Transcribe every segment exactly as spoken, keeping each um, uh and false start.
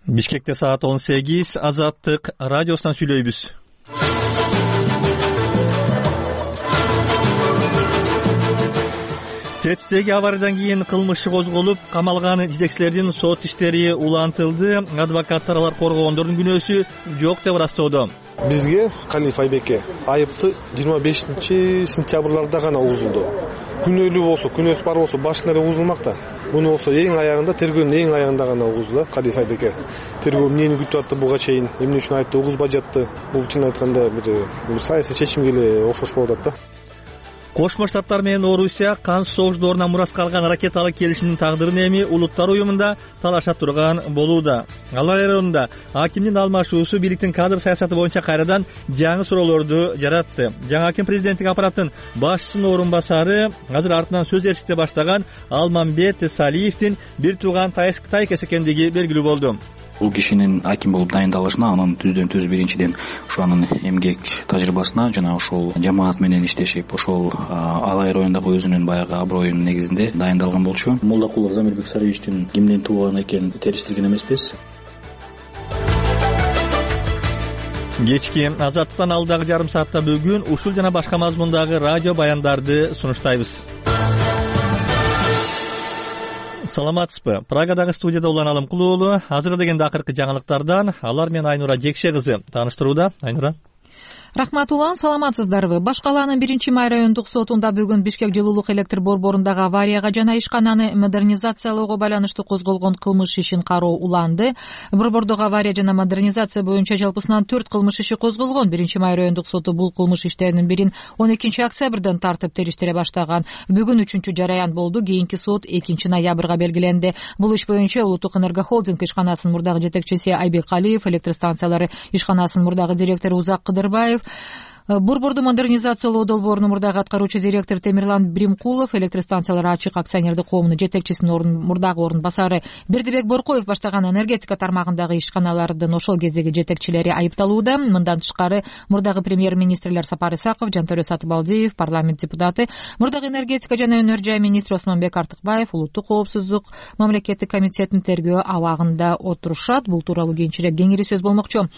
Бишкекте саат он сегиз. Азаттык радиосунан сүйлөйбүз. Тетиктеги авариядан кийин кылмыш козголуп, камалган жетекчилердин сот иштери улантылды. Адвокаттар алар коргогондордун күнөөсү жок деп ырастоодо. Бизге Калиф Айбекке айыпты жыйырма бешинчи сентябрларда гана угузулду. Күнөөлүү болсо, күнөөсү бар болсо башынан эле угузулмакта. Муну болсо эң аягында, тергөөнүн эң аягында гана угузулду Калиф Айбекке. Тергөө эмнени күтүп атты буга чейин, эмне үчүн айыпты угузбай жатты? Бул чын айтканда бир саясий чечимге эле окшош болуп атат да. Кошмо Штаттар менен Орусия кан согуш дооруна мурас калган ракеталык келишимдин тагдырын эми Улуттар уюмунда талаша турган болууда. Алар районунда акимдин алмашуусу бийликтин кадр саясаты боюнча кайрадан жаңы суроолорду жаратты. Жаңы аким президенттик аппараттын башчысынын орун басары, азыр артынан сөз эршикте баштаган Алмамбет Салиевдин бир тууган тайкеси экендиги белгилүү болду. Бул кишинин аким болуп дайындалышына, анын түздөн түз биринчиден ошо анын эмгек тажрыйбасына жана ошол жамаат менен иштешип, ошол Алай районундагы өзүнүн баягы аброюнун негизинде дайындалган болчу. Молдокулов Замирбек Сариевичтин кимден тууган экенин териштирген эмеспиз. Кечки Азаттыктан алдагы жарым саатта бүгүн ушул жана башка мазмундагы радио баяндарды сунуштайбыз. Саламатсызбы? Прагадагы студияда Улан Алымкулуу уулу. Азыр дегенде акыркы жаңылыктардан алар менен Айнура Жекше кызы тааныштырууда. Айнура. Рахмат Улан, саламатсыздарбы? Баш калаанын биринчи май райондук сотунда бүгүн Бишкек жылуулук электр борборундагы аварияга жана ишкананы модернизациялоого байланыштуу козголгон кылмыш ишин кароо уланды. Борбордогу авария жана модернизация боюнча жалпысынан төрт кылмыш иши козголгон. биринчи май райондук соту бул кылмыш иштеринин бирин он экинчи октябрдан тартып териштире баштаган. Бүгүн үчүнчү жараян болду. Кийинки сот экинчи ноябрга белгиленди. Бул иш боюнча Улуттук энергохолдинг ишканасынын мурдагы жетекчиси Айбек Калиев, электр станциялары ишканасынын мурдагы директору Узак Кыдырбаев, Борборду модернизациялоо долбоорунун мурдагы аткаруучу директор Темирлан Бримкулов, электр станциялары ачык акционердик коомунун жетекчисинин орун мурдагы орун басары Бердибек Боркоев баштаган энергетика тармагындагы ишканалардын ошол кездеги жетекчилери айыпталууда. Мындан тышкары мурдагы премьер-министрлер Сапар Исаков, Жантөрө Сатыбалдиев, парламент депутаты, мурдагы энергетика жана өнөр жай министри Осмонбек Артыкбаев улуттук коопсуздук мамлекеттик комитетинин тергөө абагында отурушат. Бул тууралуу кийинчерээк кеңири сөз болмокчу.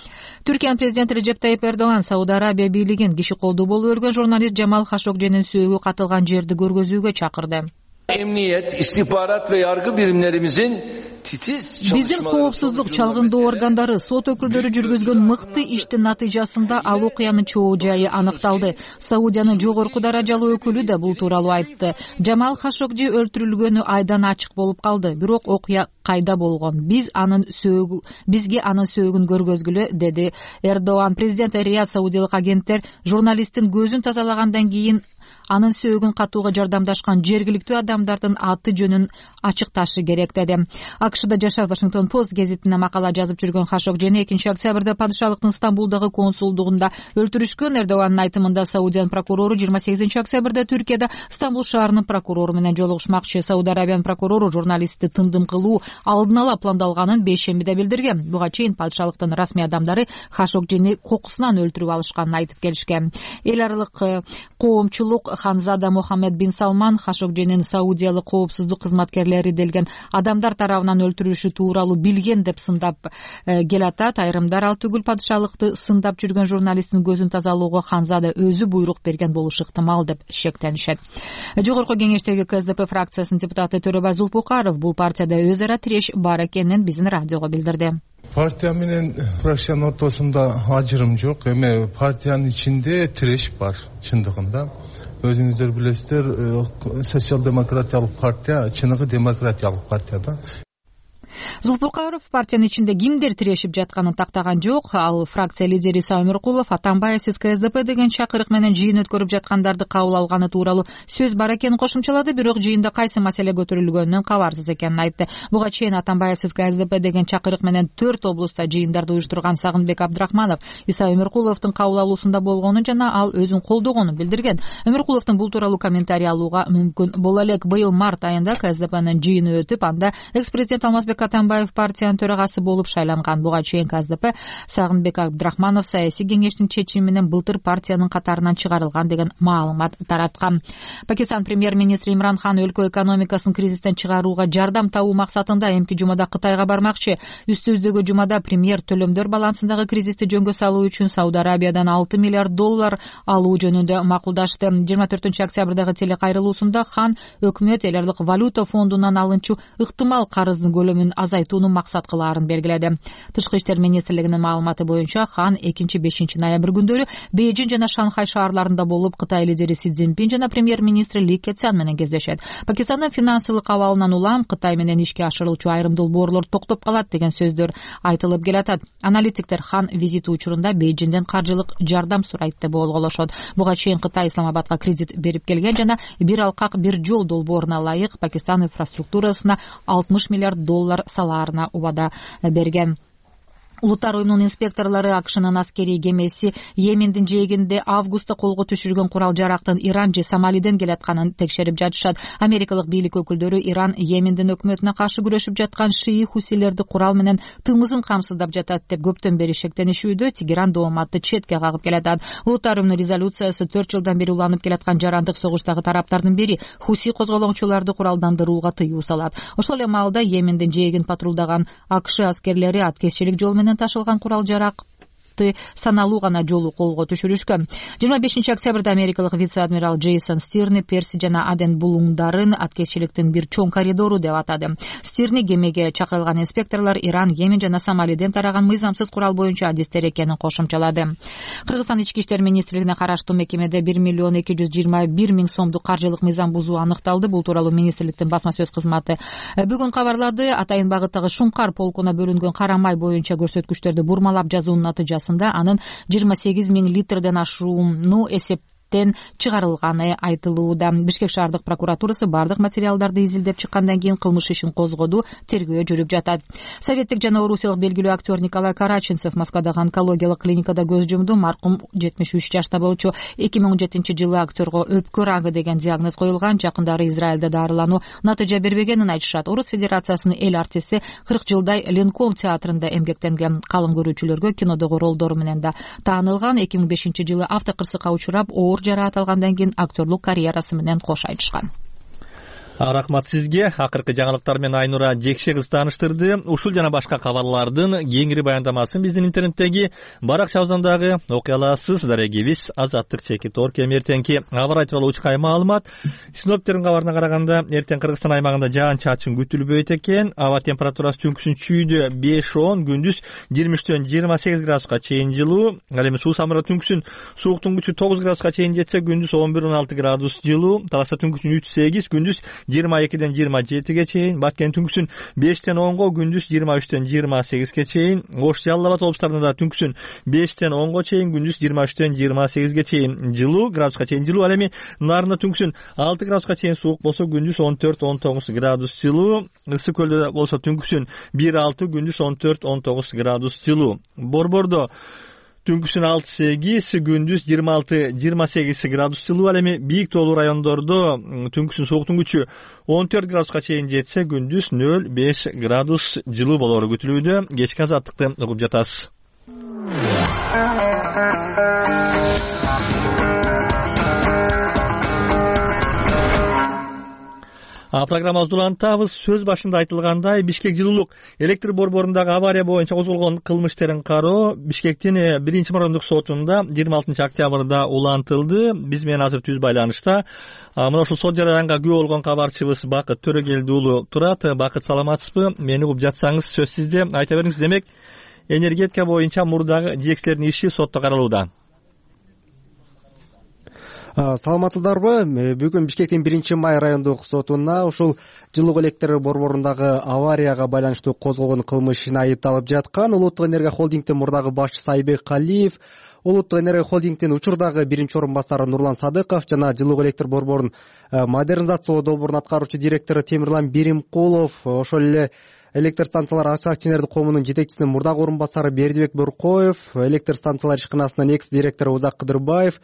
Түркиянын президенти Режеп Тайип Эрдоган Сауд Арабия бийлиги киши колдуу болуп өргөн журналист Жамал Хашогженин сөөгү катылган жерди көргөзүүгө чакырды. Emniyet, istihbarat ve yargı birimlerimizin titiz Биздин коопсуздук чалгындоо органдары сот өкүлдөрү жүргүзгөн мыкты иштин натыйжасында ал окуянын чоо жайы аныкталды. Саудиянын жогорку даражалуу өкүлү да бул тууралуу айтты. Жамал Хашогжи өлтүрүлгөнү айдан ачык болуп калды, бирок окуя кайда болгон? Биз анын сөөгү бизге анын сөөгүн көргөзгүлө, деди Эрдоган. Президент Рият саудиялык агенттер журналисттин көзүн тазалагандан кийин анын сөөгүн катууга жардамдашкан жергиликтүү адамдардын аты жөнүн ачыкташы керек, деди. АКШда жашап Вашингтон Пост гезитине макала жазып жүргөн Хашогжени экинчи октябрда падышалыктын Стамбулдагы консулдугунда өлтүрүшкөн. Эрдогандын айтымында Саудиянын прокурору жыйырма сегизинчи октябрда Түркияда Стамбул шаарынын прокурору менен жолугушмакчы. Сауд Арабиянын прокурору журналистти тындым кылуу алдын ала пландалганын бейшембиде билдирген. Буга чейин падышалыктын расмий адамдары Хашогжени кокусунан өлтүрүп алышканын айтып келишкен. Эл аралык коомчулук Ханзада Мохаммед бин Салман Хашогженин саудиялык коопсуздук кызматкерлери делген адамдар тарабынан өлтүрүлүшү тууралуу билген деп сындап келатат. Айрымдар ал түгүл, падышалыкты сындап жүргөн журналисттин көзүн тазалоого Ханзада өзү буйрук берген болушу ыктымал деп шектенишет. Жогорку кеңештеги КСДП фракциясынын депутаты Төрөбай Зулпукаров бул партияда өз ара тиреш бар экенин биздин радиого билдирди. Партия менен фракциянын ортосунда ажырым жок, эми партиянын ичинде тиреш бар чындыгында. Өзүңүздөр билесиздер, социал-демократиялык партия чыныгы демократиялык партия да. Зулпукаров партиянын ичинде кимдер тирешип жатканын тактаган жок. Ал фракция лидери Иса Өмүркулов Атамбаевсиз КСДП деген чакырык менен жыйын өткөрүп жаткандарды кабыл алганы тууралуу сөз бар экенин кошумчалады, бирок жыйында кайсы маселе көтөрүлгөнүнөн кабарсыз экенин айтты. Буга чейин Атамбаевсиз КСДП деген чакырык менен төрт облустта жыйындарды уюштурган Сагынбек Абдрахманов Иса Өмүркуловдун кабыл алуусунда болгонун жана ал өзүн колдогонун билдирген. Өмүркуловдун бул тууралуу комментарий алууга мүмкүн боло элек. Быйыл март айында КСДПнын жыйыны өтүп, анда экс-президент Алмазбек Атамбаев Атамбаев партиянын төрагасы болуп шайланган. Буга чейин КСДП Сагынбек Абдрахманов саясий кеңештин чечими менен былтыр партиянын катарынан чыгарылган деген маалымат тараткан. Пакистан премьер-министри Имран Хан өлкө экономикасын кризистен чыгарууга жардам табуу максатында эмки жумада Кытайга бармакчы. Үстүбүздөгү жумада премьер төлөмдөр балансындагы кризисти жөнгө салуу үчүн Сауд Арабиядан алты миллиард доллар алуу жөнүндө макулдашты. жыйырма төртүнчү октябрдагы телекайрылуусунда Хан өкмөт эл аралык валюта фондунан алынчу ыктымал карыздын көлөмүн азайтууну максат кылаарын белгиледи. Тышкы иштер министрлигинин маалыматы боюнча Хан экинчи бешинчи ноябрь күндөрү Бейжин жана Шанхай шаарларында болуп Кытай лидери Си Цзиньпин жана премьер-министри Ли Кэцян менен кездешет. Пакистандын финансылык абалынан улам Кытай менен ишке ашырылчу айрым долбоорлор токтоп калат деген сөздөр айтылып келатат. Аналитиктер Хан визити учурунда Бейжинден каржылык жардам сурайт деп болголошот. Буга чейин Кытай Исламабадга кредит берип келген жана бир алкак бир жол долбооруна ылайык Пакистан инфраструктурасына алтымыш миллиард доллар салаарына убада берген. Улуттар уюмунун инспекторлору АКШнын аскерий кемеси Йемендин жээгинде августта колго түшүргөн курал жарактын Иран же Сомалиден келатканын текшерип жатышат. Америкалык бийлик өкүлдөрү Иран Йемендин өкмөтүнө каршы күрөшүп жаткан шии хусилерди курал менен тымызын камсыздап жатат деп көптөн бери шектенишүүдө. Тегеран дооматты четке кагып келатат. Улуттар уюмунун резолюциясы төрт жылдан бери уланып келаткан жарандык согуштагы тараптардын бири хуси козголоңчуларды куралдандырууга тыюу салат. Ошол эле маалда Йемендин жээгин патрулдаган АКШ аскерлери аткезчилик жол менен ташылган курал жарак саналуу гана жолу колго түшүрүшкөн. жыйырма бешинчи октябрда америкалык вице-адмирал Джейсон Стирни Перси жана Аден булуңдарын аткезчиликтин бир чоң коридору деп атады. Стирни кемеге чакырылган инспекторлор Иран, Йемен жана Сомалиден тараган мыйзамсыз курал боюнча адистер экенин кошумчалады. Кыргызстан ички иштер министрлигине караштуу мекемеде бир миллион эки жүз жыйырма бир миң сомдук каржылык мыйзам бузуу аныкталды. Бул тууралуу министрликтин басма сөз кызматы бүгүн кабарлады. Атайын багыттагы Шумкар полкуна бөлүнгөн кара май боюнча көрсөткүчтөрдү бурмалап жазуунун натыйжасында анын жыйырма сегиз миң литрден ашууну эсептен чыгарылганы айтылууда. Бишкек шаардык прокуратурасы бардык материалдарды изилдеп чыккандан кийин кылмыш ишин козгоду, тергөө жүрүп жатат. Советтик жана орусиялык белгилүү актер Николай Караченцев Москвадагы онкологиялык клиникада көз жумду. Маркум жетимиш үч жашта болчу. эки миң он жетинчи жылы актерго өпкө рагы деген диагноз коюлган. Жакындары Израилде дарылануу натыйжа бербегенин айтышат. Орус Федерациясынын эл артисти кырк жылдай Ленком театрында эмгектенген. Калың көрүүчүлөргө кинодогу ролдору менен да таанылган. эки миң бешинчи жылы автокырсыкка учурап оор жараат алгандан кийин актерлук карьерасы менен кош айтышкан. Рахмат сизге. Акыркы жаңылыктар менен Айнура Жекше кыз тааныштырды. Ушул жана башка кабарлардын кеңири баяндамасын биздин интернеттеги баракчабыздан окуй аласыз. Дарегибиз Азаттык чекит ор кем эртеңки аба рай тууралуу учкай маалымат. Синоптиктердин кабарына караганда эртең Кыргызстан аймагында жаан-чачын күтүлбөйт экен. Аба температурасы түнкүсүн чүйдө беш он, күндүз жыйырма үчтөн жыйырма сегиз градуска чейин жылуу. Ал эми Суу-Самырда түнкүсүн сууктун күчү тогуз градуска чейин жетсе, күндүз он бир он алты градус жылуу. Талашта түнкүсүн үч сегиз, күндүз жыйырма экиден жыйырма жетиге чейин. Баткен түнкүсүн бештен онго, күндүз жыйырма үчтөн жыйырма сегизге чейин. Ош, Жалал Абад облустарында түнкүсүн бештен онго чейин, күндүз жыйырма үчтөн жыйырма сегизге чейин жылуу, градуска чейин жылуу. Ал эми Нарында түнкүсүн алты градуска чейин суук болсо, күндүз он төрт он тогуз градус жылуу. Ысык көлдө болсо түнкүсүн бир алты, күндүз он төрт он тогуз градус жылуу. Борбордо түнкүсүн алты сегиз, күндүз жыйырма алты жыйырма сегиз градус жылуу. Ал эми бийик тоолуу райондордо түнкүсүн сууктун күчү он төрт градуска чейин жетсе, күндүз нөл беш градус жылуу болору күтүлүүдө. Кечки азаттыкты угуп жатасыз. А программабызды улантабыз. Сөз башында айтылгандай, Бишкек жылуулук электр борборундагы авария боюнча козголгон кылмыш иштерин кароо Бишкектин биринчи мордук сотунда жыйырма алтынчы октябрда улантылды. Биз менен азыр түз байланышта мына ушул сот жараянга күбө болгон кабарчыбыз Бакыт Төрөгелди уулу турат. Бакыт, саламатсызбы? Мени угуп жатсаңыз сөз сизде. Айта бериңиз. Демек, энергетика боюнча мурдагы жетекчилердин иши сотто каралууда. Саламатсыздарбы? Бүгүн Бишкектин биринчи май райондук сотуна ушул жылуу электр борборундагы аварияга байланыштуу козголгон кылмыш ишине айыпталып жаткан Улуттук энергия холдингдин мурдагы башчысы Айбек Калиев, Улуттук энергия холдингдин учурдагы биринчи орун басары Нурлан Садыков жана жылуу электр борборун модернизациялоо долбоорунун аткаруучу директору Темирлан Беримкулов, ошол эле электр станциялары акционердик коомунун жетекчисинин мурдагы орун басары Бердибек Боркоев, электр станциялар ишканасынын экс директору Узак Кыдырбаев,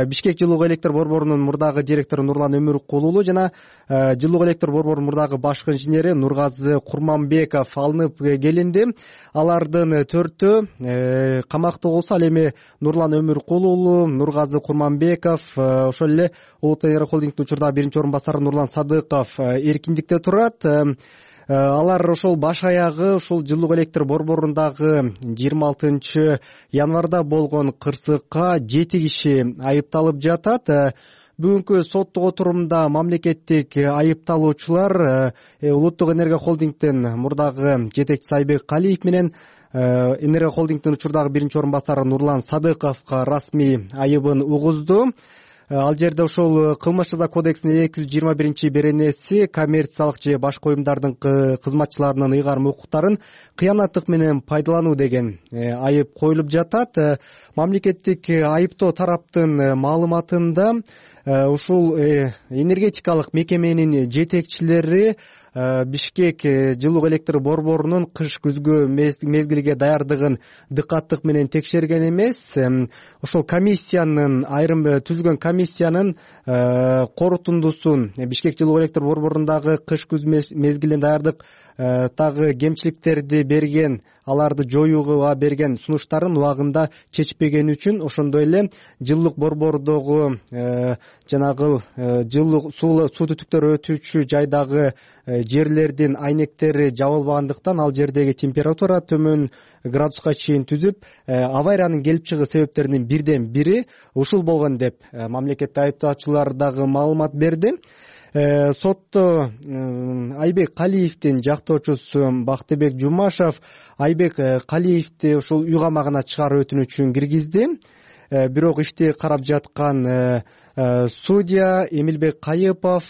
Бишкек жылуу электр борборунун мурдагы директору Нурлан Өмүркул уулу жана жылуу электр борборунун мурдагы башкы инженери Нургазы Курманбеков алынып келинди. Алардын төртөө камакта болсо, ал эми Нурлан Өмүркул уулу, Нургазы Курманбеков, ошол эле Улуттук энергия холдингдин учурдагы биринчи орун басары Нурлан Садыков эркиндикте турат. Алар ошол баш аягы ушул жылуу электр борборундагы жыйырма алтынчы январда болгон кырсыкка жети киши айыпталып жатат. Бүгүнкү соттук отурумда мамлекеттик айыпталуучулар Улуттук энергия холдингдин мурдагы жетекчиси Айбек Калиев менен энергия холдингдин учурдагы биринчи орун басары Нурлан Садыковго расмий айыбын угузду. Ал жерде ошол кылмыш жаза кодексинин эки жүз жыйырма биринчи беренеси коммерциялык же башка уюмдардын кызматчыларынын ыйгарым укуктарын кыянаттык менен пайдалануу деген айып коюлуп жатат. Мамлекеттик айыптоо тараптын маалыматында ушул энергетикалык мекеменин жетекчилери Бишкек жылуу электр борборунун кыш-күзгү мезгилге даярдыгын дыкаттык менен текшерген эмес. Ошол комиссиянын айрым түзүлгөн комиссиянын корутундусун Бишкек жылуу электр борборундагы кыш-күз мезгилине даярдык тагы кемчиликтерди берген, аларды жоюуга берген сунуштарын убагында чечпегени үчүн, ошондой эле жылдык борбордогу жанагы жылуу суу түтүктөр өтүүчү жайдагы жерлердин айнектери жабылбагандыктан ал жердеги температура төмөн градуска чейин түзүп, авариянын келип чыгуу себептеринин бирден бири ушул болгон деп мамлекеттик айыптоочулар дагы маалымат берди. Сотто Айбек Калиевдин жактоочусу Бактыбек Жумашев Айбек Калиевди ушул үй камагына чыгаруу өтүнүчүн киргизди. Бирок ишти карап жаткан судья Эмилбек Кайыпов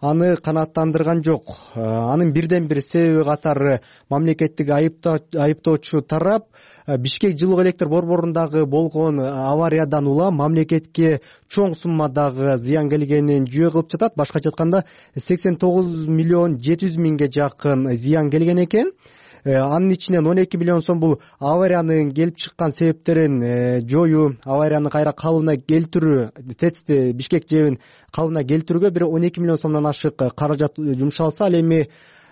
аны канааттандырган жок. Анын бирден бир себеби катары мамлекеттик айыптоочу тарап Бишкек жылуу электр борборундагы болгон авариядан улам мамлекетке чоң суммадагы зыян келгенин жүйө кылып жатат. Башкача айтканда сексен тогуз миллион жети жүз миңге жакын зыян келген экен. Анын ичинен он эки миллион сом бул авариянын келип чыккан себептерин жоюу, аварияны кайра калыбына келтирүү, ТЭЦти Бишкек жебин калыбына келтирүүгө бир он эки миллион сомдон ашык каражат жумшалса, ал эми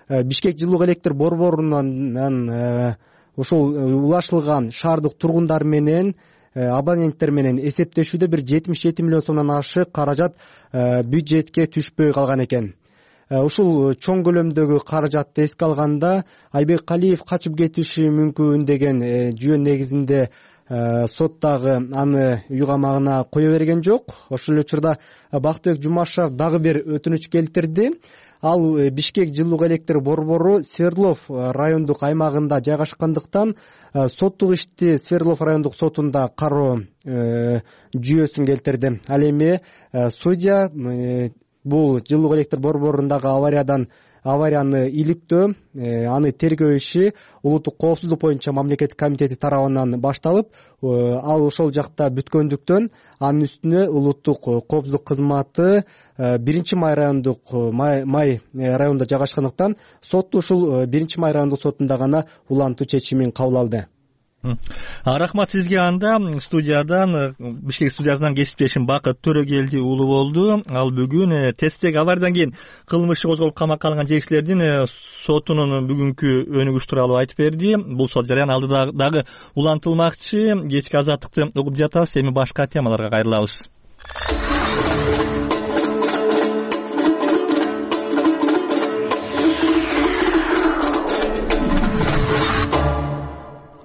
Бишкек жылуу электр борборунан ошол улашылган шаардык тургундар менен, абоненттер менен эсептешүүдө бир жетимиш жети миллион сомдон ашык каражат бюджетке түшпөй калган экен. Ушул чоң көлөмдөгү каражатты эске алганда Айбек Калиев качып кетиши мүмкүн деген жүйө негизинде сот дагы аны үй камагына кое берген жок. Ошол эле учурда Бактыбек Жумашев дагы бир өтүнүч келтирди. Ал Бишкек жылуу электр борбору Свердлов райондук аймагында жайгашкандыктан соттук ишти Свердлов райондук сотунда кароо жүйөсүн келтирди. Ал эми судья бул жылуу электр борборундагы авариядан аварияны иликтөө, аны тергөө иши улуттук коопсуздук боюнча мамлекеттик комитети тарабынан башталып, ал ошол жакта бүткөндүктөн анын үстүнө улуттук коопсуздук кызматы биринчи май райондук май районунда жайгашкандыктан сот ушул биринчи май райондук сотунда гана улантуу чечимин кабыл алды. Рахмат сизге. Анда студиядан Бишкек студиясынан кесиптешим Бакыт Төрөгелди уулу болду. Ал бүгүн ТЭЦтеги авариядан кийин кылмыш козголуп камакка алынган жетекчилердин сотунун бүгүнкү өнүгүш тууралуу айтып берди. Бул сот жарыяны алдыда дагы улантылмакчы. Кечки азаттыкты угуп жатабыз. Эми башка темаларга кайрылабыз.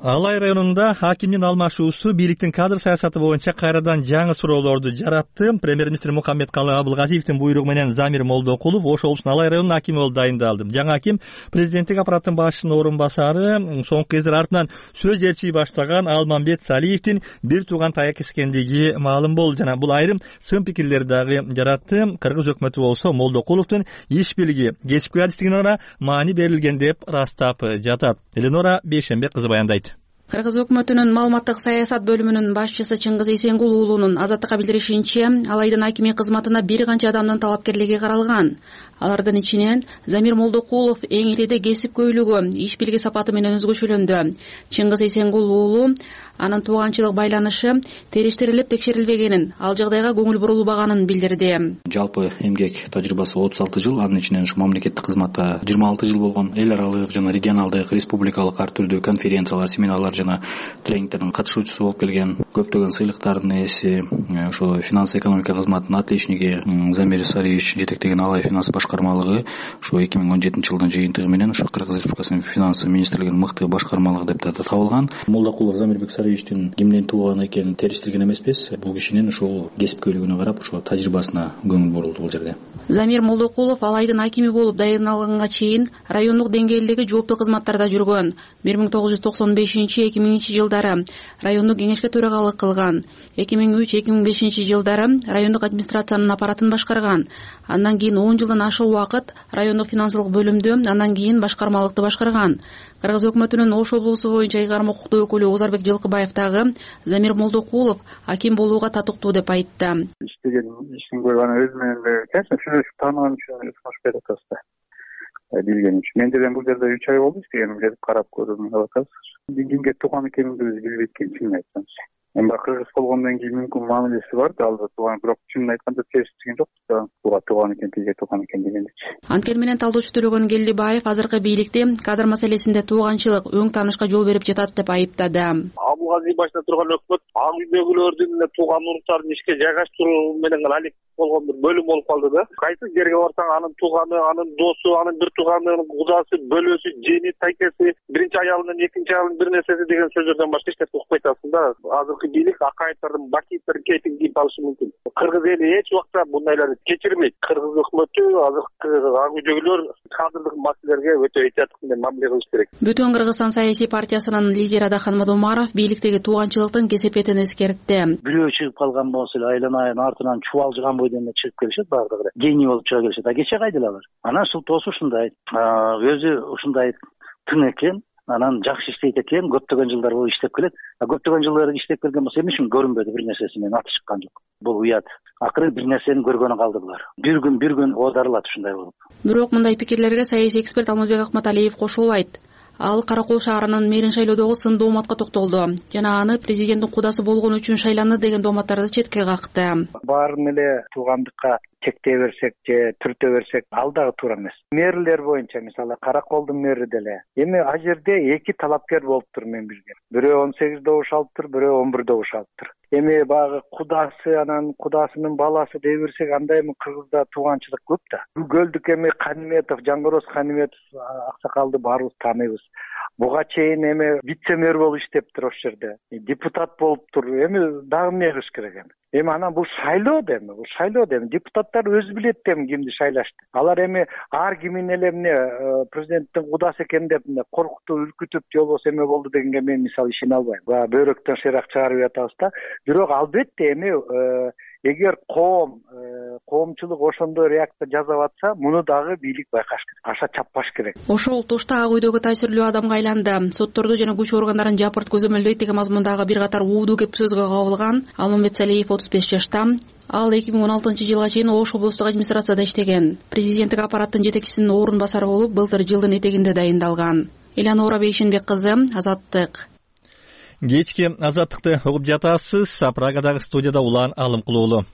Алай районунда хакимдин алмашуусу бийликтин кадр саясаты боюнча кайрадан жаңы суроолорду жаратты. Премьер-министр Мухаммедкалый Абылгазиевдин буйругу менен Замир Молдокулов Ош облусунун Алай районунун акими болуп дайындалды. Жаңы аким президенттик аппараттын башчысынын орун басары, соңку кездер артынан сөз ээрчий баштаган Алмамбет Салиевдин бир тууган таяк эскендиги маалым болду. Жана бул айрым сын пикирлерди дагы жаратты. Кыргыз өкмөтү болсо Молдокуловдун иш билиги, кесипкөй адистигине маани берилген деп ырастап жатат. Эленора Бейшембек кызы баяндайт. Кыргыз өкмөтүнүн маалыматтык саясат бөлүмүнүн башчысы Чыңгыз Эсенгул уулунун Азаттыкка билдиришинче, ал айдын акими кызматына бир канча адамдын талапкерлиги каралган. Алардын ичинен Замир Молдокулов эң ириде кесип көйлүгү, иш билги сапаты менен өзгөчөлөндү. Чыңгыз Эсенгул уулу анын тууганчылык байланышы териштирилип текшерилбегенин, ал жагдайга көңүл бурулбаганын билдирди. Жалпы эмгек тажрыйбасы отуз алты жыл, анын ичинен ушу мамлекеттик кызматта жыйырма алты жыл болгон. Эл аралык жана регионалдык, республикалык ар түрдүү конференциялар, семинарлар жана тренингтердин катышуучусу болуп келген. Көптөгөн сыйлыктардын ээси, ошо финанс экономика кызматынын отличниги Замир Сариевич жетектеген Алай финанс башкармалыгы ушу эки миң он жетинчи жылдын жыйынтыгы менен ушу Кыргыз Республикасынын финанс министрлигинин мыкты башкармалыгы деп табылган. Молдокулов Замирбек Сариевичтин кимден тууган экенин териштирген эмеспиз. Бул кишинин ушул кесипкөйлүгүнө карап, ошо тажрыйбасына көңүл бурулду бул жерде. Замир Молдокулов ал айдын акими болуп дайындалганга чейин райондук деңгээлдеги жооптуу кызматтарда жүргөн. бир миң тогуз жүз токсон бешинчи эки миңинчи жылдары райондук кеңешке төрагалык кылган. эки миң үч эки миң бешинчи жылдары райондук администрациянын аппаратын башкарган. Андан кийин он жылдан ашык убакыт райондук финансылык бөлүмдө, андан кийин башкармалыкты башкарган. Кыргыз өкмөтүнүн Ош облусу боюнча ыйгарым укуктуу өкүлү Озарбек Жылкыбаев дагы Замир Молдокулов аким болууга татыктуу деп айтты. Иштеген ишин көргөн өз менен конечно сүйлөшүп тааныган үчүн сунуш берип атабыз да. Билген үчүн. Мен деле бул жерде үч ай болду иштегеним, келип карап көрдүм деп атабыз. Кимге тууган экенимди биз билбейт экен, чынын айтсамчы. Эми кыргыз болгондон кийин мүмкүн мамилеси бар да, албетте тууган, бирок чынын айтканда териштирген жок да. Тууга тууган экен, тиге тууган экен дегендичи. Анткени менен талдоочу Төлөгөн Келдибаев азыркы бийликти кадр маселесинде тууганчылык, өң таанышка жол берип жатат деп айыптады. Абылгазиев башында турган өкмөт ак үйдөгүлөрдүн тууган уруктарын ишке жайгаштыруу менен алек болгон бир бөлүм болуп калды да. Кайсы жерге барсаң анын тууганы, анын досу, анын бир тууганынын кудасы, бөлөсү, жени, тайкеси, биринчи аялынын, экинчи аялынын бир нерсеси деген сөздөрдөн башка эч нерсе укпай атасың да. Азыркы бийлик акаевдердин, бакиевдердин кейпин кийип алышы мүмкүн. Кыргыз эли эч убакта бундайларды кечирбейт. Кыргыз өкмөтү азыркы ак үйдөгүлөр кадрлык маселелерге өтө этияттык менен мамиле кылыш керек. Бүтүн Кыргызстан саясий партиясынын лидери Адахан Мадумаров бийликтеги тууганчылыктын кесепетин эскертти. Бирөө чыгып калган болсо эле айланайын артынан чубалжыган бойдон эле чыгып келишет, баардыгы гений болуп чыга келишет. А кече кайдылар алар? Анан султоосу ушундай, өзү ушундай тың экен, анан жакшы иштейт экен, көптөгөн жылдар бою иштеп келет. А көптөгөн жылдар иштеп келген болсо эмне үчүн көрүнбөдү, бир нерсеси менен аты чыккан жок. Бул уят. Акыры бир нерсени көргөнү калды булар. Бир күн бир күн оодарылат ушундай болуп. Бирок мындай пикирлерге саясий эксперт Алмазбек Акматалиев кошулбайт. Ал Кара Кол шаарынын мэрин шайлоодогу сын дооматка токтолду жана аны президенттин кудасы болгон үчүн шайланды деген дооматтарды четке какты. Баарын эле туугандыкка чектей берсек же түртө берсек ал дагы туура эмес. Мэрлер боюнча мисалы Кара Колдун мэри деле эми а жерде эки талапкер болуптур мен билгем. Бирөө он сегиз добуш алыптыр, бирөө он бир добуш алыптыр. Эми багы кудасы анан кудасынын баласы дей берсек, анда эми Кыргызда тууганчылык көп да. Гөлдүк эми Каниметов, Жангороз Каниметов аксакалды баарыбыз тааныйбыз. Буга чейин эми вице-мэр болуп иштептир ошол жерде. Депутат болуптур. Эми дагы эмне кылыш керек эми? Эми анан бул шайлоо да эми, бул шайлоо да эми. Депутаттар өзү билет да эми кимди шайлашты. Алар эми ар кимин эле эмне президенттин кудасы экен деп эмне коркутуп, үркүтүп, же болбосо эме болду дегенге мен мисалы ишене албайм. Баа бөйрөктөн шыйрак чыгарып атабыз да. Бирок албетте эми эгер коом коомчулук ошондой реакция жасап атса, муну дагы бийлик байкаш керек, аша чаппаш керек. Ошол тушта ак үйдөгү таасирлүү адамга айланды. Сотторду жана күч органдарын жапырт көзөмөлдөйт деген мазмундагы бир катар уудуу кеп сөзгө кабылган Алмамбет Салиев отуз беш жашта. Ал эки миң он алтынчы жылга чейин Ош облустук администрацияда иштеген. Президенттик аппараттын жетекчисинин орун басары болуп, былтыр жылдын этегинде дайындалган. Элянора Бейшенбек кызы, Азаттык. Кечки Азаттыкты угуп жатасыз. Прагадагы студияда Улан Алымкулуулу.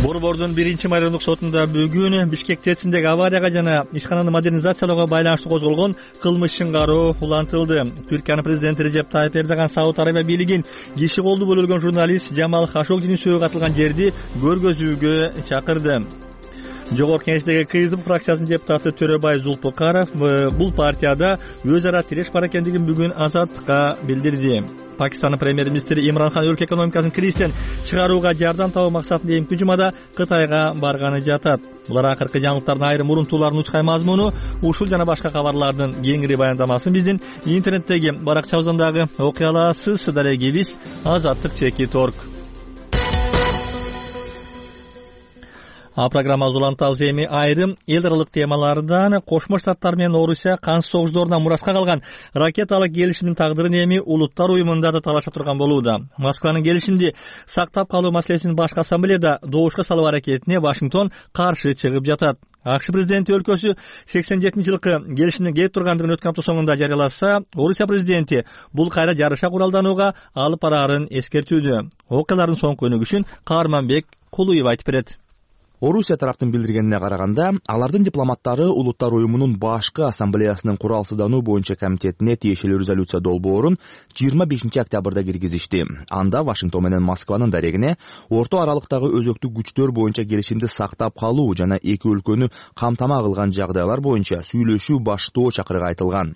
Борбордун биринчи майрындык сотунда бүгүн Бишкек ТЭЦиндеги аварияга жана ишкананы модернизациялоого байланыштуу козголгон кылмыш чыңгаруу улантылды. Түркиянын президенти Режеп Тайып Эрдоган Сауд Арабия бийлигин киши колду бөлөлгөн журналист Жамал Хашогдинин сөөгү атылган жерди көргөзүүгө чакырды. Жогорку Кеңештеги КСДП фракциясынын депутаты Төрөбай Зулпукаров бул партияда өз ара тиреш бар экендигин бүгүн Азаттыкка билдирди. Пакистандын премьер-министри Имран Хан өлкө экономикасын кризистен чыгарууга жардам табуу максатында эмки жумада Кытайга барганы жатат. Булар акыркы жаңылыктардын айрым урунтууларынын учкай мазмуну. Ушул жана башка кабарлардын кеңири баяндамасын биздин интернеттеги баракчабыздан дагы окуй аласыз. Дарегибиз Азаттык чеки торг. А программабыз улантабыз эми айрым эл аралык темалардан. Кошмо Штаттар менен Орусия канс согуштарына мураска калган ракеталык келишимдин тагдырын эми улуттар уюмунда да талаша турган болууда. Москванын келишимди сактап калуу маселесин башкы ассамблеяда добушка салуу аракетине Вашингтон каршы чыгып жатат. АКШ президенти өлкөсү сексен жетинчи жылкы келишимдин кетип тургандыгын өткөн апта соңунда жарыяласа, Орусия президенти бул кайра жарыша куралданууга алып бараарын эскертүүдө. Окуялардын соңку өнүгүшүн Каарманбек Кулуев айтып берет. Орусия тараптын билдиргенине караганда, алардын дипломаттары Улуттар уюмунун башкы ассамблеясынын куралсыздануу боюнча комитетине тиешелүү резолюция долбоорун жыйырма бешинчи октябрда киргизишти. Анда Вашингтон менен Москванын дарегине орто аралыктагы өзөктүк күчтөр боюнча келишимди сактап калуу жана эки өлкөнү камтама кылган жагдайлар боюнча сүйлөшүү баштоо чакырыгы айтылган.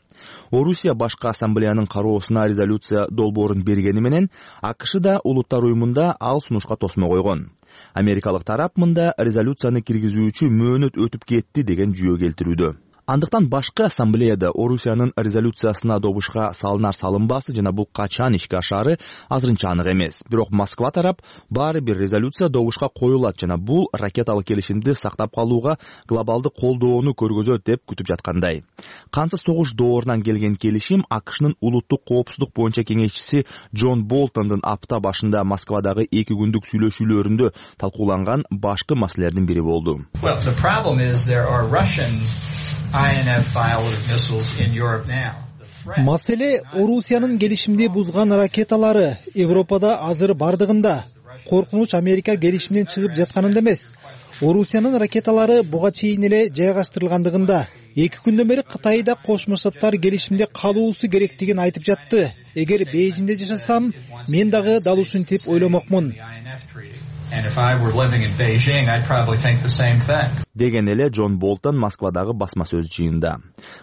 Орусия башкы ассамблеянын кароосуна резолюция долбоорун бергени менен АКШ да Улуттар уюмунда ал сунушка тосмо койгон. Америкалык тарап мында резолюцияны киргизүүчү мөөнөт өтүп кетти деген жүйө келтирүүдө. Андыктан башкы ассамблеяда Орусиянын резолюциясына добушка салынар салынбасы жана бул качан ишке ашаары азырынча анык эмес. Бирок Москва тарап баары бир резолюция добушка коюлат жана бул ракеталык келишимди сактап калууга глобалдык колдоону көргөзөт деп күтүп жаткандай. Кансы согуш доорунан келген келишим АКШнын улуттук коопсуздук боюнча кеңешчиси Джон Болтондун апта башында Москвадагы эки күндүк сүйлөшүүлөрүндө талкууланган башкы маселелердин бири болду. Маселе Орусиянын келишимди бузган ракеталары Европада азыр бардыгында. Коркунуч Америка келишимден чыгып жатканында эмес. Орусиянын ракеталары буга чейин эле жайгаштырылгандыгында. Эки күндөн бери Кытай да Кошмо Штаттар келишимде калуусу керектигин айтып жатты. Эгер Бейжиңде жашасам, мен дагы дал ушинтип ойломокмун. Деген эле Джон Болтон Москвадагы басма сөз жыйынында.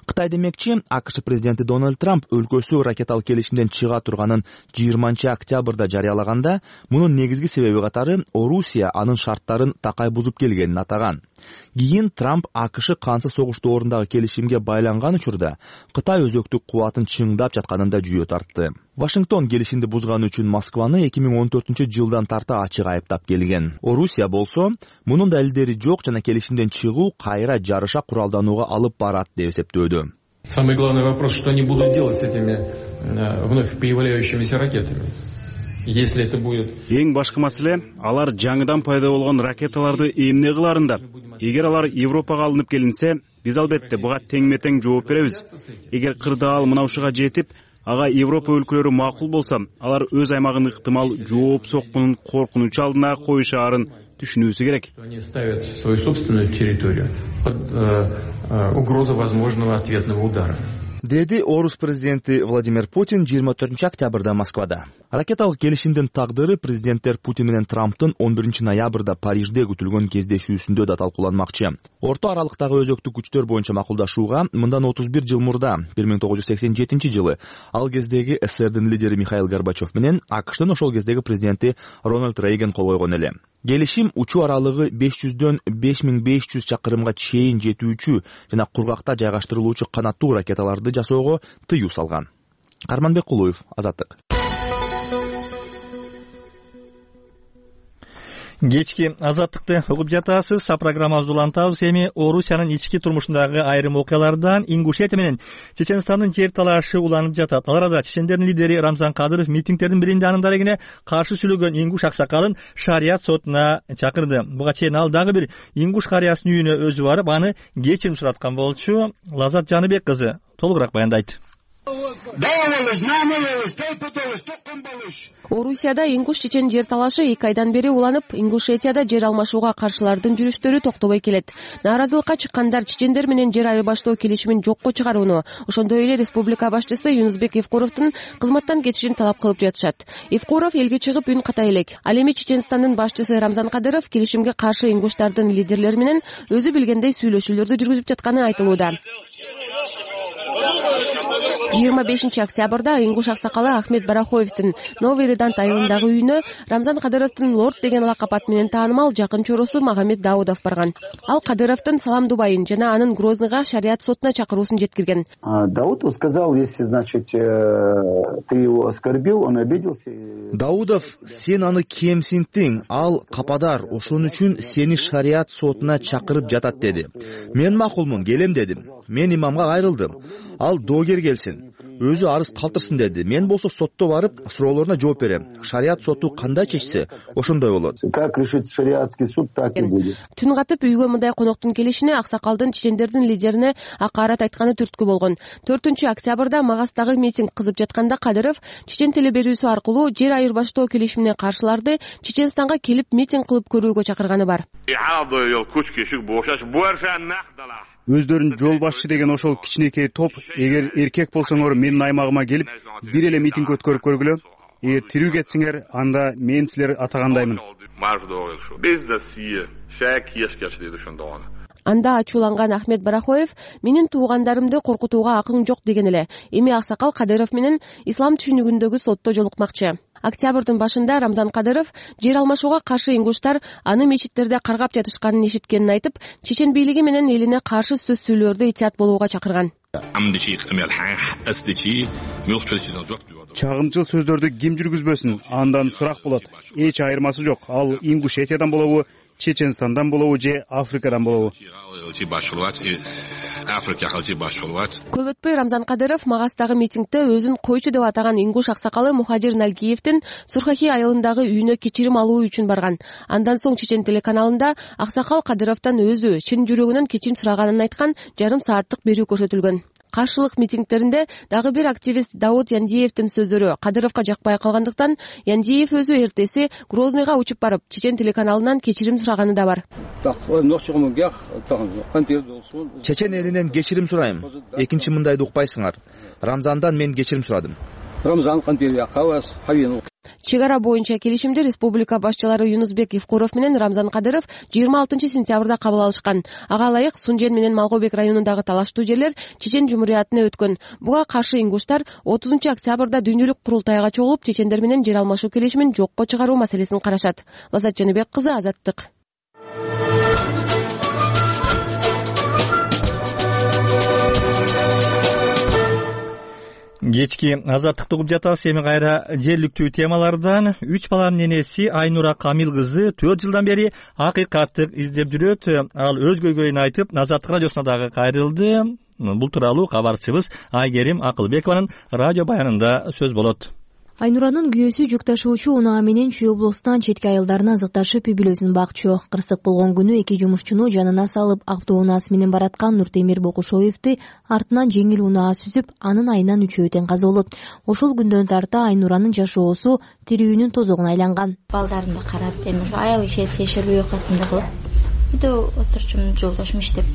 Кытай демекчи, АКШ президенти Дональд Трамп өлкөсү ракеталык келишимден чыга турганын жыйырманчы октябрда жарыялаганда, мунун негизги себеби катары Орусия анын шарттарын такай бузуп келгенин атаган. Кийин Трамп АКШ кансы согуш доорундагы келишимге байланган учурда Кытай өзөктүк кубатын чыңдап жатканында жүйө тартты. Вашингтон келишимди бузганы үчүн Москваны эки миң он төртүнчү жылдан тарта ачык айыптап келген. Орусия болсо, мунун далилдери жок жана келишимден чыгуу кайра жарыша куралданууга алып барат деп эсептөөдө. Самый главный вопрос, что они будут делать с этими вновь появляющимися ракетами. Если это будет... Эң башкы маселе, алар жаңыдан пайда болгон ракеталарды эмне кыларында. Эгер алар Европага алынып келинсе, биз албетте буга теңме-тең жооп беребиз. Эгер кырдаал мына ушуга жетип, ага Европа өлкөлөрү макул болсо, алар өз аймагын ыктымал жооп соккунун коркунучу алдына коюшаарын түшүнүүсү керек. Они ставят свою собственную территорию под угрозу возможного ответного удара. Деди Орус президенти Владимир Путин жыйырма төртүнчү октябрда Москвада. Ракеталык келишимдин тагдыры президенттер Путин менен Трамптын он биринчи ноябрда Парижде күтүлгөн кездешүүсүндө да талкууланмакчы. Орто аралыктагы өзөктүк күчтөр боюнча макулдашууга мындан отуз бир жыл мурда, бир миң тогуз жүз сексен жетинчи жылы, ал кездеги СССРдин лидери Михаил Горбачев менен АКШтын ошол кездеги президенти Рональд Рейган кол койгон эле. Келишим учуу аралыгы беш жүздөн беш миң беш жүз чакырымга чейин жетүүчү жана кургакта жайгаштырылуучу канаттуу ракеталарды жасоого тыюу салган. Каарманбек Кулуев, Азаттык. Кечки Азаттыкты угуп жатасыз. Программабызды улантабыз. Эми Орусиянын ички турмушундагы айрым окуялардан Ингушетия менен Чеченстандын жер талашы уланып жатат. Ал арада чечендердин лидери Рамзан Кадыров митингдердин биринде анын дарегине каршы сүйлөгөн ингуш аксакалын шарият сотуна чакырды. Буга чейин ал дагы бир ингуш карыясынын үйүнө өзү барып, аны кечирим сураткан болчу. Лазат Жаныбек кызы толугураак баяндайт. Орусияда ингуш-чечен жер талашы эки айдан бери уланып, Ингушетияда жер алмашууга каршылардын жүрүштөрү токтобой келет. Нааразылыкка чыккандар чечендер менен жер айырбаштоо келишимин жокко чыгарууну, ошондой эле республика башчысы Юнусбек Евкуровдун кызматтан кетишин талап кылып жатышат. Евкуров элге чыгып үн катай элек. Ал эми Чеченстандын башчысы Рамзан Кадыров келишимге каршы ингуштардын лидерлери менен өзү билгендей сүйлөшүүлөрдү жүргүзүп жатканы айтылууда. жыйырма бешинчи октябрда ингуш аксакалы Ахмет Барахоевдин Новый Редант айылындагы үйүнө Рамзан Кадыровдун лорд деген лакап аты менен таанымал жакын чоросу Магомед Даудов барган. Ал Кадыровдун Салам Дубайын жана анын Грозныйга шарият сотуна чакыруусун жеткирген. Даудов сказал, если, значит, ты его оскорбил, он обиделся. Даудов, сен аны кемсинттиң, ал кападар, ошон үчүн сени шарият сотуна чакырып жатат деди. Мен макулмун, келем дедим. Мен имамга кайрылдым. Ал доогер келсин, өзү арыз калтырсын деди. Мен болсо сотто барып, суроолоруна жооп берем. Шарият соту кандай чечсе, ошондой болот. Как решит шариатский суд, так и будет. Түн катып үйгө мындай коноктун келишине аксакалдын чечендердин лидерине акаарат айтканы түрткү болгон. төртүнчү октябрда Магастагы митинг кызып жатканда Кадыров чечен телеберүүсү аркылуу жер айырбаштоо келишимине каршыларды Чеченстанга келип митинг кылып көрүүгө чакырганы бар. Өздөрүн жол башчы деген ошол кичинекей топ, эгер эркек болсоңор менин аймагыма келип, бир эле митинг өткөрүп көргүлө. Эгер тирүү кетсиңер, анда мен силер атагандаймын. Анда ачууланган Ахмет Барахоев менин туугандарымды коркутууга акың жок деген эле. Эми аксакал Кадыров менен ислам түшүнүгүндөгү сотто жолукмакчы. Октябрдын башында Рамзан Кадыров жер алмашууга каршы ингуштар аны мечиттерде каргап жатышканын эшиткенин айтып, чечен бийлиги менен элине каршы сөз сүйлөөрдө итият болууга чакырган. Чагымчыл сөздөрдү ким жүргүзбөсүн, андан сурак болот. Эч айырмасы жок. Ал Ингушетиядан болобу, Чеченстандан болобу же Африкадан болобу. Көп өтпөй Рамзан Кадыров Магастагы митингде өзүн койчу деп атаган ингуш аксакалы Мухажир Налгиевдин Сурхахи айылындагы үйүнө кечирим алуу үчүн барган. Андан соң Чечен телеканалында аксакал Кадыровдон өзү чын жүрөгүнөн кечирим сураганын айткан жарым сааттык берүү көрсөтүлгөн. Каршылык митингдеринде дагы бир активист Дауд Яндиевдин сөздөрү Кадыровго жакпай калгандыктан Яндиев өзү эртеси Грозныйга учуп барып Чечен телеканалынан кечирим сураганы да бар. Чечен элинен кечирим сурайм. Экинчи мындайды укпайсыңар. Рамзандан мен кечирим сурадым. Чек ара боюнча келишимди республика башчылары Юнусбек Евкуров менен Рамзан Кадыров жыйырма алтынчы сентябрда кабыл алышкан. Ага ылайык Сунжен менен Малгобек районундагы талаштуу жерлер Чечен жумуриятына өткөн. Буга каршы ингуштар отузунчу октябрда дүйнөлүк курултайга чогулуп чечендер менен жер алмашуу келишимин жокко чыгаруу маселесин карашат. Лазат Жаныбек кызы, Азаттык. Кечки Азаттыкты угуп жатабыз. Эми кайра жергиликтүү темалардан. Үч баланын энеси Айнура Камил кызы төрт жылдан бери акыйкаттык издеп жүрөт. Ал өз көйгөйүн айтып, Азаттык радиосуна дагы кайрылды. Бул тууралуу кабарчыбыз Айгерим Акылбекованын радио баянында сөз болот. Айнуранын күйөөсү жүк ташуучу унаа менен Чүй облустан четке айылдарына азыкташып үй бүлөсүн бакчу. Кырсык болгон күнү эки жумушчуну жанына салып автоунаасы менен бараткан Нуртемир Бокушоевди артынан жеңил унаа сүзүп, анын айынан үчөө тең каза болот. Ошол күндөн тарта Айнуранын жашоосу тирүүнүн тозогуна айланган. Балдарымды карап, эми аял киши тиешелүү окатында кылып үйдө отурчумун, жолдошум иштеп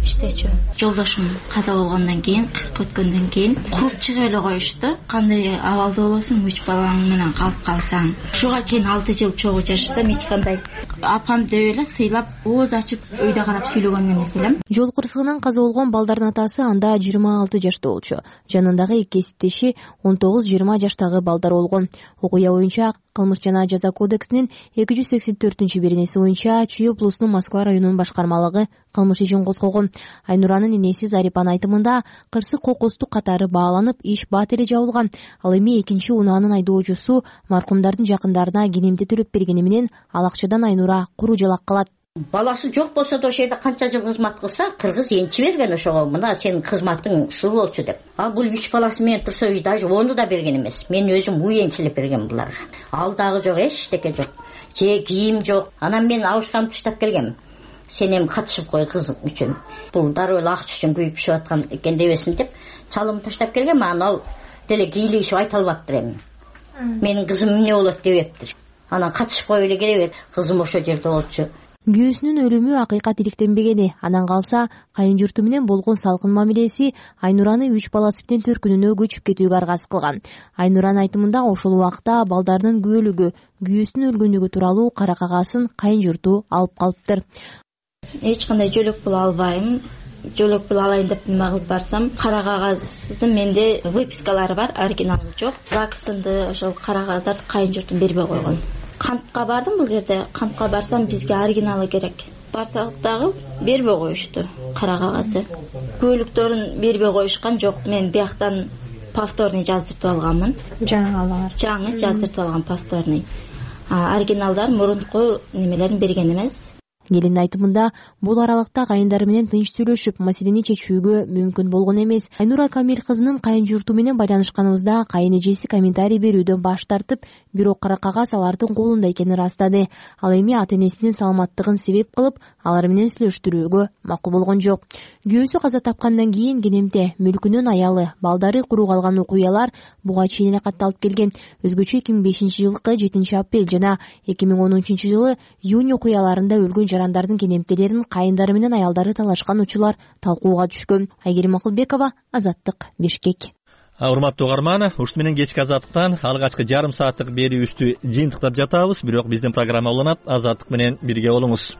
иштечү. Жолдошум каза болгондон кийин, кырк өткөндөн кийин кууп чыгып эле коюшту. Кандай абалда болосуң, үч балаң менен калып калсаң. Ушуга чейин алты жыл чогуу жашасам, эч кандай апам деп эле сыйлап, ооз ачып өйдө карап сүйлөгөн эмес элем. Жол кырсыгынан каза болгон балдардын атасы анда жыйырма алты жашта болчу. Жанындагы эки кесиптеши он тогуз жыйырма жаштагы балдар болгон. Окуя боюнча Кылмыш жана жаза кодексинин эки жүз сексен төртүнчү беренеси боюнча Чүй облусунун Москва районунун башкармалыгы кылмыш ишин козгогон. Айнуранын энеси Зарипанын айтымында кырсык кокустук катары бааланып, иш бат эле жабылган. Ал эми экинчи унаанын айдоочусу маркумдардын жакындарына кенемти төлөп бергени менен ал акчадан Айнура куру жалак калат. Баласы жок болсо да ошол жерде канча жыл кызмат кылса, кыргыз энчи берген ошого, мына сенин кызматың ушул болчу деп. А бул үч баласы менен турса, үй даже ону да берген эмес. Мен өзүм үй энчилеп берген буларга. Ал дагы жок, эчтеке жок. Же кийим жок. Анан мен абышкамды таштап келгем. Сен эми катышып кой кыз үчүн. Бул дароо эле акча үчүн күйүп пишип аткан экен дебесин деп, чалымды таштап келгем. Анан ал деле кийлигишип айта албаптыр эми. Менин кызым эмне болот дебептир. Анан катышып кой эле керек, кызым ошол жерде болчу. Күйөөсүнүн өлүмү акыйкат иликтенбегени, анан калса кайын журту менен болгон салкын мамилеси Айнураны үч баласы менен төркүнүнө көчүп кетүүгө аргасыз кылган. Айнуранын айтымында ошол убакта балдарынын күбөлүгү, күйөөсүнүн өлгөнлүгү тууралуу кара кагасын кайын журту алып калыптыр. Эч кандай жөлөк боло албайм. жол өкүл алайын деп нема кылып барсам, кара кагаздын менде выпискалары бар, оригиналы жок. ЗАГСынды ошол кара кагаздарды кайын журтум бербей койгон. Кантка бардым бул жерде. Кантка барсам бизге оригиналы керек. Барсак дагы бербей коюшту кара кагазды. Көлүктөрүн бербей коюшкан жок. Мен бияктан повторный жаздыртып алганмын. Жаңы жаңы жаздыртып алган повторный. Оригиналдар мурунку немелерин берген эмес. Келиндин айтымында бул аралыкта кайындары менен тынч сүйлөшүп, маселени чечүүгө мүмкүн болгон эмес. Айнура Камил кызынын кайын журту менен байланышканыбызда кайын эжеси комментарий берүүдөн баш тартып, бирок кара кагаз алардын колунда экенин ырастады. Ал эми ата-энесинин саламаттыгын себеп кылып, алар менен сүйлөштүрүүгө макул болгон жок. Күйөөсү каза тапкандан кийин кенемте мүлкүнүн аялы, балдары куру калган окуялар буга чейин эле катталып келген. Өзгөчө эки миң бешинчи жылкы жетинчи апрель жана эки миң он үчүнчү жылы июнь окуяларында өлгөн жарандардын кенемтелерин кайындары менен аялдары талашкан учурлар талкууга түшкөн. Айгерим Акылбекова, Азаттык, Бишкек. Урматтуу угарман, ушун менен кечки Азаттыктан алгачкы жарым сааттык берүүбүздү жыйынтыктап жатабыз, бирок биздин программа уланат. Азаттык менен бирге болуңуз.